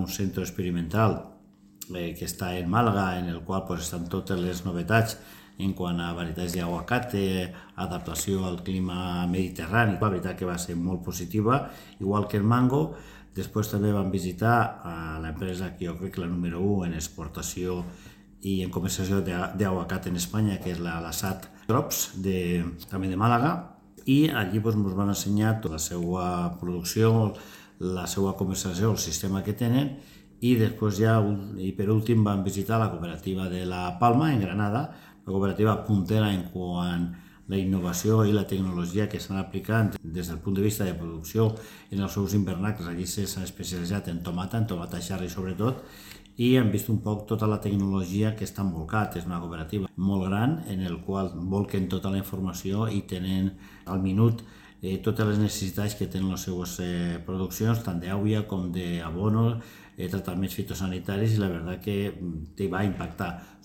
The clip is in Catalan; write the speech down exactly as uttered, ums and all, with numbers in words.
un centre experimental eh, que està en Màlaga, en el qual pues, estan totes les novetats en quant a varietats d'aguacate, adaptació al clima mediterrani. La veritat que va ser molt positiva, igual que el mango. Després també vam visitar a l'empresa que jo crec que la número u en exportació i en comercialització d'aguacat en Espanya, que és la, la S A T Crops, de, també de Màlaga, i allí doncs, ens van ensenyar tota la seva producció, la seva comercialització, el sistema que tenen, i després ja, i per últim, vam visitar la cooperativa de La Palma, en Granada, la cooperativa puntera en quant a la innovació i la tecnologia que estan aplicant des del punt de vista de producció en els seus invernacles. Allí s'han especialitzat en tomata, en tomata xarri sobretot, i hem vist un poc tota la tecnologia que està envolcat. És una cooperativa molt gran en el qual volquen tota la informació i tenen al minut eh, totes les necessitats que tenen les seues eh, produccions, tant d'aigua com d'abono, eh, tractaments fitosanitaris, i la veritat que te va impactar.